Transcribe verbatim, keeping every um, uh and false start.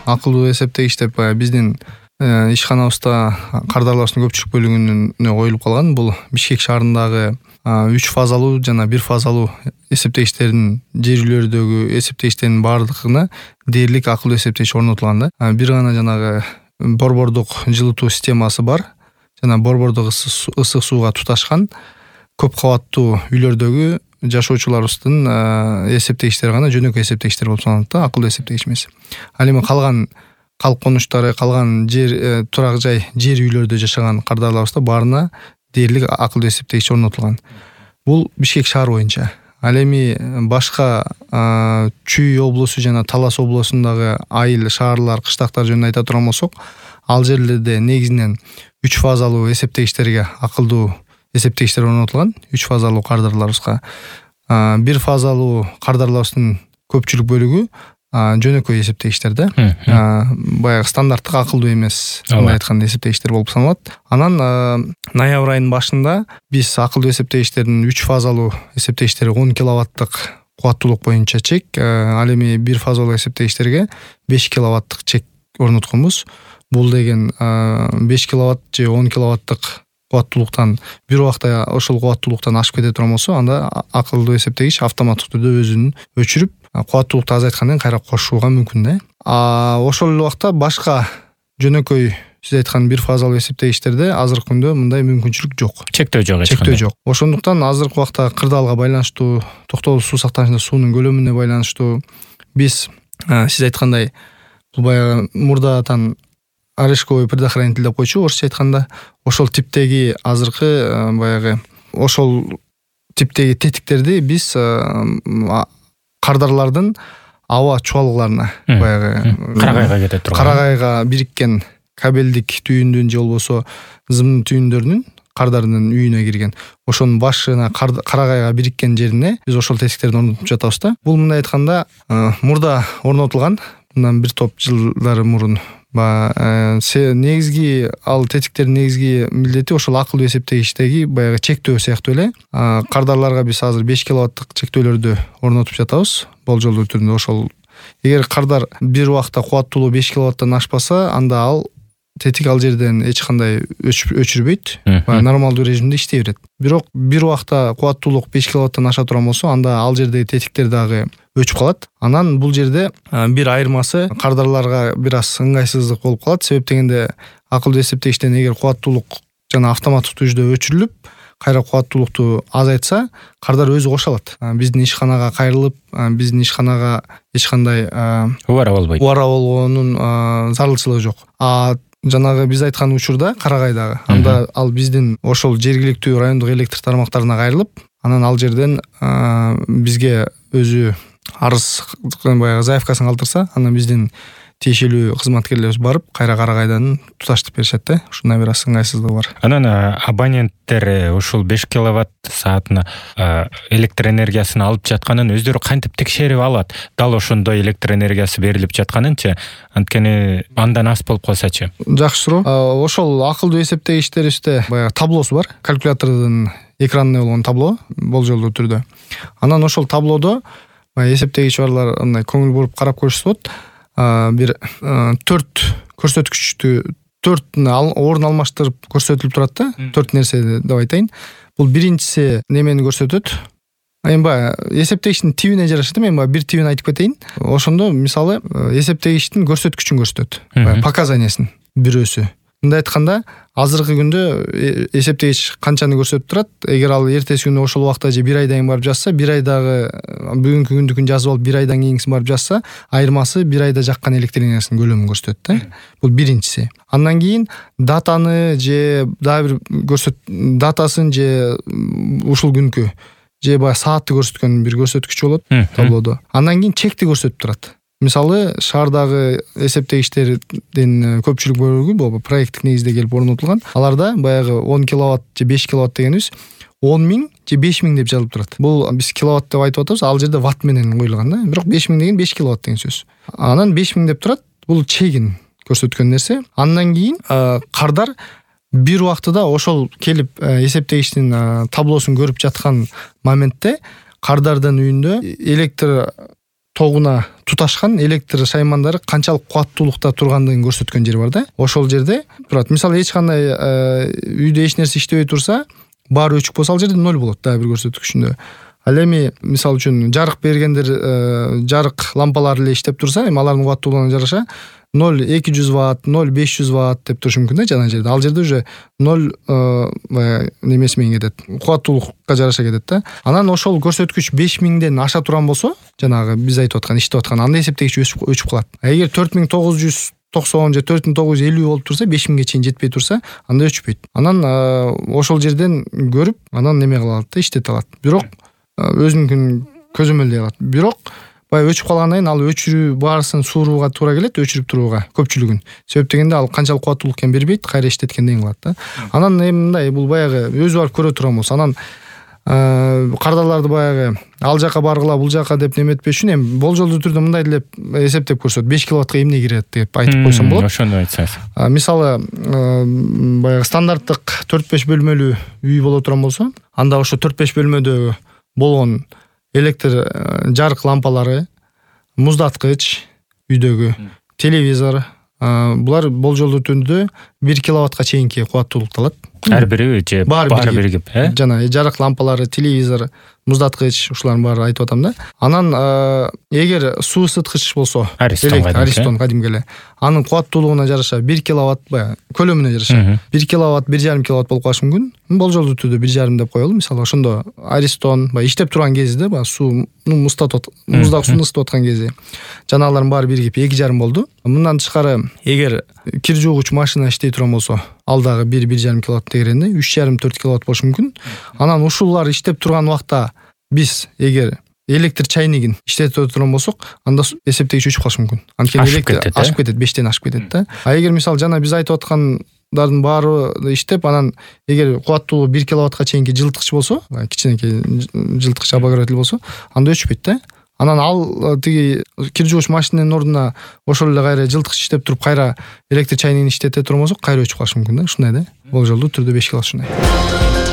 акылдуу эсептегич деп биздин ишканабызда кардарлаштын көпчүлүк бөлүгүнө коюлуп калган. Бул Бишкек шаарындагы үч фазалуу жана бир фазалуу эсептегичтердин жер үйлөрдөгү эсептегичтердин баардыгына дээрлик акылдуу эсептегич орнотулган да. Бир гана жанагы борбордук жылытуу системасы бар жана борбордук ысык сууга туташкан көп кабаттуу үйлөрдөгү жашоочуларыбыздын эсептегичтери гана жөнөкөй эсептегичтер болуп саналат да, акылдуу эсептегич эмес. Ал эми калган калк конуштары, калган жер турак жай жер үйлөрдө жашаган кардарларыбызда баарына дээрлик акылдуу эсептегич орнотулган. Бул Бишкек шаар боюнча. Ал эми башка Чүй облусу жана Талас облусундагы айыл, шаарлар, кыштактар жөнүндө айта турган болсок, ал жерлерде негизинен үч фазалуу эсептегичтерге акылдуу эсептегичтер орнотулган. үч фазалуу кардарларыбызга. Бир фазалуу кардарларыбыздын көпчүлүк бөлүгү жөнөкөй эсептегичтер да. Баягы стандарттык акылдуу эмес, мындай айтканда эсептегичтер болуп саналат. Анан ноябрь айынын башында биз акылдуу эсептегичтердин үч фазалуу эсептегичтери он киловаттык кубаттуулук боюнча чек, ал эми бир фазалуу эсептегичтерге беш киловаттык чек орнотконбуз. Бул деген беш киловатт же он киловаттык кубаттуулуктан бир убакта ошол кубаттуулуктан ашып кете турган болсо, анда акылдуу эсептегич автоматтык түрдө өзүн өчүрүп, кубаттуулукту азайткандан кийин кайра кошууга мүмкүн да. А ошол эле убакта башка жөнөкөй сиз айткан бир фазалуу эсептегичтерде азыркы күндө мындай мүмкүнчүлүк жок. Чектөө жок. Чектөө жок. Ошондуктан азыркы убакта кырдаалга байланыштуу, токтогул суу сактагычында суунун көлөмүнө байланыштуу биз сиз айткандай бул баягы мурдатан орешковый предохранитель деп койчу орусча айтканда, ошол типтеги азыркы баягы ошол типтеги тетиктерди биз кардарлардын аба чубалгыларына, баягы карагайга кете турган, карагайга бириккен кабелдик түйүндүн же болбосо зымдын түйүндөрүнүн кардардын үйүнө кирген, ошонун башына карагайга бириккен жерине биз ошол тетиктерди орнотуп жатабыз да. Бул мындай айтканда мурда орнотулган, мындан бир топ жылдары мурун. Негизги ал тетиктердин негизги милдети ошол акылдуу эсептегичтеги баягы чектөө сыяктуу эле. Кардарларга биз азыр беш киловаттык чектөөлөрдү орнотуп жатабыз болжолдуу түрдө. Ошол эгер кардар бир убакта кубаттуулугу беш киловаттан ашпаса, анда ал тетик ал жерден эч кандай өчүрбөйт, нормалдуу режимде иштей берет. Бирок бир убакта кубаттуулук беш киловаттан аша турган болсо, анда ал жердеги тетиктер дагы өчүп калат. Анан бул жерде бир айырмасы кардарларга бир аз ыңгайсыздык болуп калат. Себеп дегенде акылдуу эсептегичтен эгер кубаттуулук жана автоматтык түрдө өчүрүлүп, кайра кубаттуулукту азайтса, кардар өзү кошо алат. Биздин ишканага кайрылып, биздин ишканага эч кандай убара болбойт. Убара болгонун зарылчылыгы жок. А жанагы биз айткан учурда карагайдагы, анда ал биздин ошол жергиликтүү райондук электр тармактарына кайрылып, анан ал жерден бизге өзү арыз баягы заявкасын калтырса, анан биздин тиешелүү кызматкерлерибиз барып, кайра карагайдан туташтырып беришет да. Ушундай бир ыңгайсыздыгы бар. Анан абоненттер ушул беш киловатт саатына электр энергиясын алып жатканын өздөрү кантип текшерип алат? Дал ошондой электр энергиясы берилип жатканынчы, анткени андан аз болуп калсачы? Жакшы суроо. Ошол акылдуу эсептегичтерибизде баягы таблосу бар. Калькулятордун экранында болгон табло болжолдуу түрдө. Анан ошол таблодо эсептегич барлар андай көңүл буруп карап көрүшсө болот. Бир төрт көрсөткүчтү төрт орун алмаштырып көрсөтүлүп турат да. Төрт нерсе деп айтайын. Бул биринчиси немени көрсөтөт. Эми баягы эсептегичтин тибине жараша мен баягы бир тибин айтып кетейин. Ошондо мисалы эсептегичтин көрсөткүчүн көрсөтөт. Показаниясын бирөөсү. Мындай айтканда, азыркы күндө эсептегич канчаны көрсөтүп турат? Эгер ал эртеси күнү ошол убакта же бир айдан кийин барып жазса, бир айдагы бүгүнкү күндүкүн жазып алып бир айдан кийинкисин барып жазса, айырмасы бир айда жаккан электр энергиясынын көлөмүн көрсөтөт да. Бул биринчиси. Андан кийин датаны же дагы бир көрсөт датасын же ушул күнкү же баягы саатты көрсөткөн бир көрсөткүч болот таблодо. Андан кийин чекти көрсөтүп турат. Мисалы, шаардагы эсептегичтердин көпчүлүк бөлүгү бул проекттик негизде келип орнотулган. Аларда баягы он киловатт же беш киловатт дегенибиз он миң же беш миң деп жазылып турат. Бул биз киловатт деп айтып атабыз, ал жерде ватт менен коюлган да. Бирок беш миң деген беш киловатт деген сөз. Анан беш миң деп турат. Бул чегин көрсөткөн нерсе. Андан кийин кардар бир убактыда ошол келип эсептегичтин таблосун көрүп жаткан моментте кардардын үйүндө электр тогуна туташкан электр шаймандары канчалык кубаттуулукта тургандыгын көрсөткөн жер бар да. Ошол жерде турат. Мисалы эч кандай үйдө эч нерсе иштебей турса, баары өчүк болсо ал жерде ноль болот да бир көрсөткүчүндө. Ал эми мисалы үчүн жарык бергендер жарык лампалары эле иштеп турса, эми алардын кубаттуулугуна жараша ноль эки жүз ватт, ноль беш жүз ватт деп турушу мүмкүн да жана жерде. Ал жерде уже ноль баягы немеси менен кетет. Кубаттуулукка жараша кетет да. Анан ошол көрсөткүч беш миңден аша турган болсо, жанагы биз айтып аткан, иштеп аткан андай эсептегич өчүп калат. А эгер төрт миң тогуз жүз токсон же төрт миң тогуз жүз элүү болуп турса, беш миңге чейин жетпей турса, анда өчпөйт. Анан ошол жерден көрүп, анан неме кыла алат да, иштете алат. Бирок өзүнүн көзөмөлдөй алат. Бирок баягы өчүп калгандан кийин ал өчүрүү баарысын сууруга туура келет, өчүрүп турууга көпчүлүгүн. Себеп дегенде ал канчалык кубаттуулук экенин бербейт, кайра иштеткенден кылат да. Анан эми мындай, бул баягы өзү барып көрө турган болсо, анан кардарларды баягы ал жака баргыла, бул жака деп неметпеш үчүн эми болжолдуу түрдө мындай деп эсептеп көрсөт. беш киловаттка эмне кирет деп айтып койсом болот. Ошону айтсаңыз. Мисалы, баягы стандарттык төрт беш бөлмөлүү үй боло турган болсо, анда ошо төрт беш бөлмөдө болгон электр жарык лампалары, муздаткыч, үйдөгү телевизор, булар болжолдуу түрдө бир киловаттка чейинки кубаттуулукту алат. Ар бири же баары биригип, э? Жана жарык лампалары, телевизор, муздаткыч, ушулардын баары айтып атам да. Анан эгер суу ысыткыч болсо, Аристон кадимки эле, анын кубаттуулугуна жараша бир киловатт, баягы көлөмүнө жараша бир киловатт, бир жарым киловатт болуп калышы мүмкүн. Болжолдуу түрдө бир жарым деп коелу. Мисалы, ошондо Аристон баягы иштеп турган кезде, баягы суу муздак сууну ысытып аткан кезде жанагылардын баары биригип эки жарым болду. Мындан тышкары, эгер кир жуугуч машина иштей турган болсо, ал дагы бир бир жарым киловатт дегенде үч жарым төрт киловатт болушу мүмкүн. Анан ушулар иштеп турган убакта биз эгер электр чайнигин иштетип турган болсок, анда эсептегич өчүп калышы мүмкүн. Анткени электр ашып кетет, бештен ашып кетет да. А эгер мисалы жана биз айтып аткандардын баары иштеп, анан эгер кубаттуулугу бир киловаттка чейинки жылыткыч болсо, кичинекей жылыткыч обогреватель болсо, анда өчпөйт да. Анан ал тиги кир жуугуч машинанын ордуна ошол эле кайра жылыткыч иштеп туруп, кайра электр чайнигин иштете турган болсок, кайра өчүп калышы мүмкүн да. Ушундай да. Болжолдуу түрдө беш киловатт ушундай.